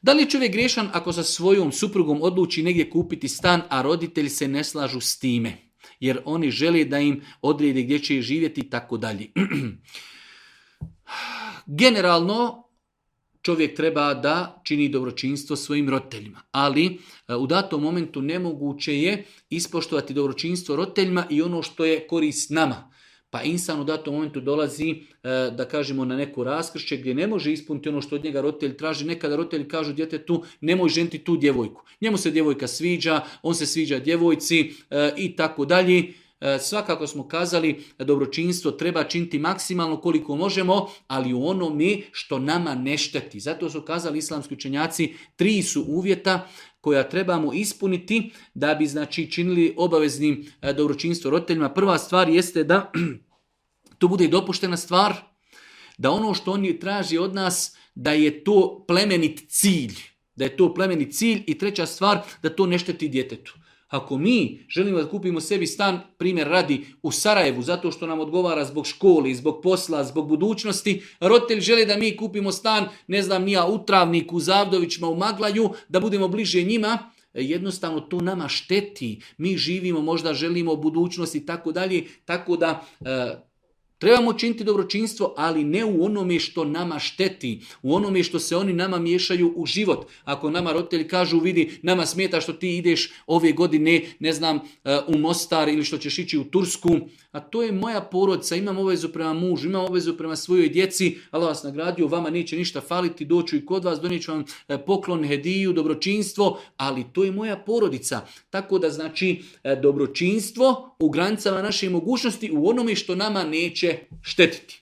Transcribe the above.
Da li je čovjek griješan ako sa svojom suprugom odluči negdje kupiti stan, a roditelji se ne slažu s time? Jer oni žele da im odredi gdje će živjeti i tako dalje. Generalno, čovjek treba da čini dobročinstvo svojim roditeljima, ali u datom momentu nemoguće je ispoštovati dobročinstvo roditeljima i ono što je korist nama. Pa insan u datom momentu dolazi, da kažemo, na neko raskršće gdje ne može ispuniti ono što od njega roditelj traži. Nekada roditelji kažu djetetu nemoj ženiti tu djevojku. Njemu se djevojka sviđa, on se sviđa djevojci i tako dalje. Svakako smo kazali da dobročinstvo treba činiti maksimalno koliko možemo, ali u onome što nama ne šteti. Zato su kazali islamski učenjaci 3 su uvjeta koja trebamo ispuniti da bi činili obaveznim dobročinstvo roditeljima. Prva stvar jeste da to bude dopuštena stvar, da ono što oni traži od nas da je to plemenit cilj. Da je to plemenit cilj i treća stvar da to ne šteti djetetu. Ako mi želimo da kupimo sebi stan, primjer radi, u Sarajevu, zato što nam odgovara zbog škole, zbog posla, zbog budućnosti, roditelji žele da mi kupimo stan, ne znam nija, u Travniku, u Zavdovićima, u Maglaju, da budemo bliže njima, jednostavno to nama šteti. Mi živimo, možda želimo budućnost i tako dalje, tako da trebamo činiti dobročinstvo, ali ne u onome što nama šteti, u onome što se oni nama miješaju u život. Ako nama roditelji kažu, vidi, nama smeta što ti ideš ove godine, ne znam, u Mostar ili što ćeš ići u Tursku, a to je moja porodica, imam obavezu prema mužu, imam obavezu prema svojoj djeci, Allah vas nagradio, vama neće ništa faliti, doću i kod vas, donijet ću vam poklon, hediju, dobročinstvo, ali to je moja porodica. Tako da dobročinstvo u granicama naše mogućnosti, u onome što nama neće štetiti.